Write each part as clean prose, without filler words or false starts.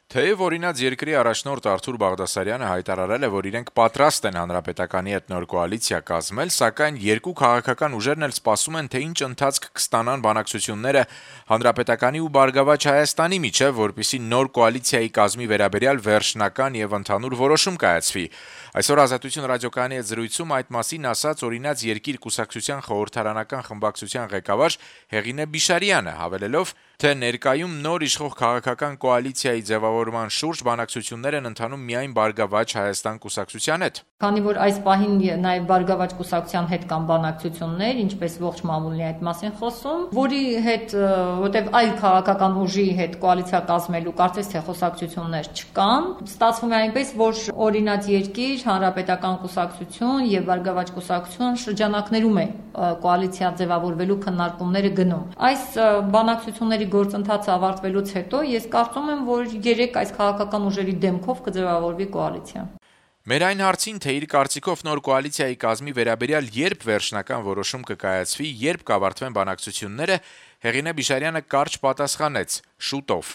Թեև օրինաց երկրի առաջնորդ Արթուր Բաղդասարյանը հայտարարել է, որ իրենք պատրաստ են Հանրապետականի հետ նոր կոալիցիա կազմել, սակայն երկու քաղաքական ուժերն էլ սպասում են, թե ինչ ընթացք կստանան բանակցությունները Հանրապետականի ու Բարգավաճ Հայաստանի միջև, որպեսզի նոր կոալիցիայի կազմի վերաբերյալ վերջնական եւ ընդհանուր որոշում կայացվի։ Այսօր Ազատություն ռադիոկայանի հետ զրույցում այդ մասին ասաց օրինաց երկիր կուսակցության խորհրդարանական խմբակցության ղեկավար Հեղինե Բիշարյանը, հավելելով, թե ներկայում նոր իշխող քաղաքական կոալիցիայի ձևավորման շուրջ բանակցություններ են ընթանում միայն Բարգավաճ Հայաստան կուսակցության հետ։ Քանի որ այս պահին նաև Բարգավաճ կուսակցության հետ կան բանակցություններ, ինչպես ողջ մամուլի այդ մասին խոսում, որի հետ, որտեղ այլ քաղաքական ուժի հետ կոալիցիա կազմելու կարծես թե խոսակցություններ չկան, ստացվում է այնպես, որ օրինաց երկիր, Հանրապետական կուսակցություն եւ Բարգավաճ կուսակցություն շրջանակներում է կոալիցիա ձևավորվելու քննարկումները գնում։ Այս բանակցությունների գործընթացը ավարտվելուց հետո ես կարծում եմ, որ 3 այս քաղաքական ուժերի դեմքով կձևավորվի կոալիցիա։ Մեր այն հարցին, թե իր կարծիքով նոր կոալիցիայի կազմի վերաբերյալ երբ վերջնական որոշում կկայացվի, երբ կավարտվեն բանակցությունները, Հեղինե Բիշարյանը կարճ պատասխանեց՝ շուտով։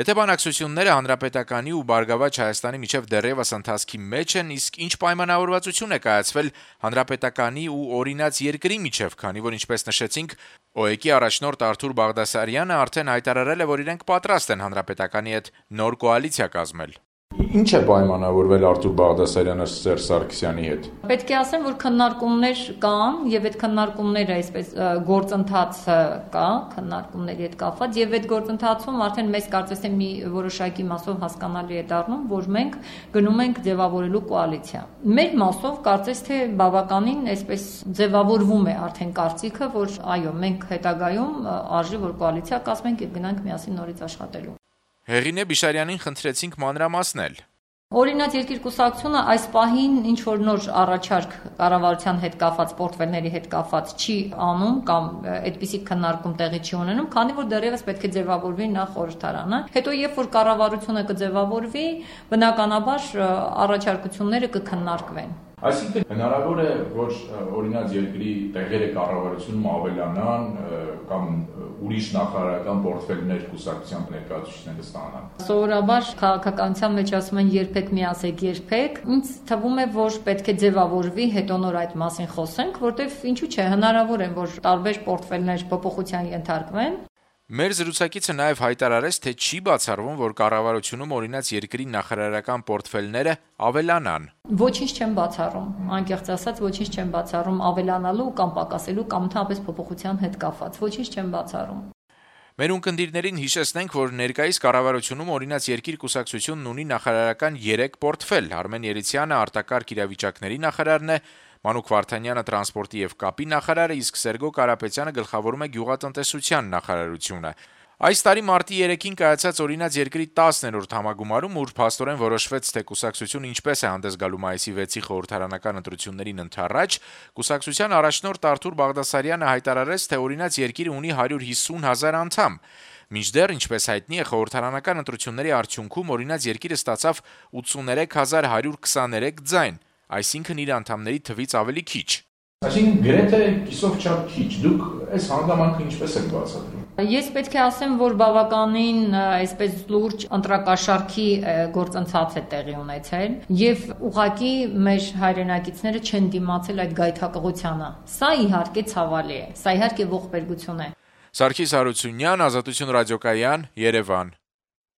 Եթե բանակցությունները Հանրապետականի ու Բարգավաճ Հայաստանի միջև դեռևս ընթացքի մեջ են, իսկ ինչ պայմանավորվածություն է կայացվել Հանրապետականի ու օրինաց երկրի միջև, քանի որ ինչպես նշեցինք, ՕԵԿ-ի առաջնորդ Արթուր Բաղդասարյանը արդեն հայտարարել է, որ իրենք պատրաստ են Հանրապետականի հետ նոր կոալիցիա կազմել։ Ինչ է պայմանավորվել Արթուր Բաղդասարյանը Սերժ Սարգսյանի հետ։ Պետք է ասեմ, որ քննարկումներ կան եւ այդ քննարկումները այսպես գործընթացը կա, քննարկումների հետ կապված եւ այդ գործընթացում արդեն մեզ կարծես թե մի որոշակի մասով հասկանալի է դառնում, որ մենք գնում ենք ձևավորելու կոալիցիա։ Մեր մասով կարծես թե բավականին այսպես ձևավորվում է արդեն կարծիքը, որ այո, մենք հետագայում արժի որ կոալիցիա կազմենք եւ գնանք միասին նորից աշխատելու։ Հեղինե Բիշարյանին խնդրեցինք մանրամասնել։ Օրինաց երկիր կուսակցությունը այս պահին ինչ որ նոր առաջարկ կառավարության հետ կապված պորտֆելների հետ կապված չի անում կամ այդպիսի քննարկում տեղի չի ունենում, քանի որ դեռևս պետք է ձևավորվի նախ խորհրդարանը։ Հետո երբ որ կառավարությունը կձևավորվի, բնականաբար առաջարկությունները կքննարկվեն։ Այսինքն հնարավոր է, որ օրինաց երկրի տեղերը կառավարությունում ավելանան կամ ուրիշ նախարարական պորտֆելներ կուսակցության ներկայացուցիչները ստանան։ Սովորաբար քաղաքականության մեջ ասում են երբեք մի ասեք երբեք։ Ինձ թվում է, որ պետք է ձևավորվի, հետո նոր այդ մասին խոսենք, որտեվ ինչու՞ չէ, հնարավոր է, որ տարբեր պորտֆելներ փոփոխության ենթարկվեն։ Մեր զրուցակիցը նաև հայտարարեց, թե չի բացառվում, որ կառավարությունում օրինաց երկրի նախարարական պորտֆելները ավելանան։ Ոչինչ չեմ բացառում, անկեղծ ասած ոչինչ չեմ բացառում ավելանալու կամ պակասելու կամ ընդհանրապես փոփոխության հետ կապված, ոչինչ չեմ բացառում։ Մեր ունկնդիրներին հիշեցնենք, որ ներկայիս կառավարությունում օրինաց երկիր կուսակցությունն ունի նախարարական 3 պորտֆել։ Արմեն Երիցյանը արտակարգ իրավիճակների նախարարն է, Մանուկ Վարդանյանը տրանսպորտի եւ կապի նախարարը, իսկ Սերգո Կարապետյանը գլխավորում է գյուղատնտեսության նախարարությունը։ Այս տարի մարտի 3-ին կայացած օրինաց երկրի 10-րդ համագումարում, ուր փաստորեն որոշվեց, թե կուսակցությունը ինչպես է հանդես գալու մայիսի 6-ի խորհրդարանական ընտրություններին ընդառաջ, կուսակցության առաջնորդ Արթուր Բաղդասարյանը հայտարարեց, թե օրինաց երկիրը ունի 150,000 անդամ։ Մինչդեռ, ինչպես հայտնի է, խորհրդարանական ընտրությունների արդյունքում օրինաց երկիրը ստացավ 83,123 ձայն, այսինքն իր անդամների թվից ավելի քիչ։ Այսինքն գրեթե կիսով չափ քիչ։ Դուք այս հանգամանքը ինչպես եք բացատրում։ Ես պետք է ասեմ, որ բավականին այսպես լուրջ ընտրակաշառքի գործընթաց է տեղի ունեցել եւ ուղղակի մեր հայրենակիցները չեն դիմացել այդ գայթակղությանը։ Սա իհարկե ցավալի է, սա իհարկե ողբերգություն է։ Սարգիս Հարությունյան, Ազատություն ռադիոկայան, Երևան։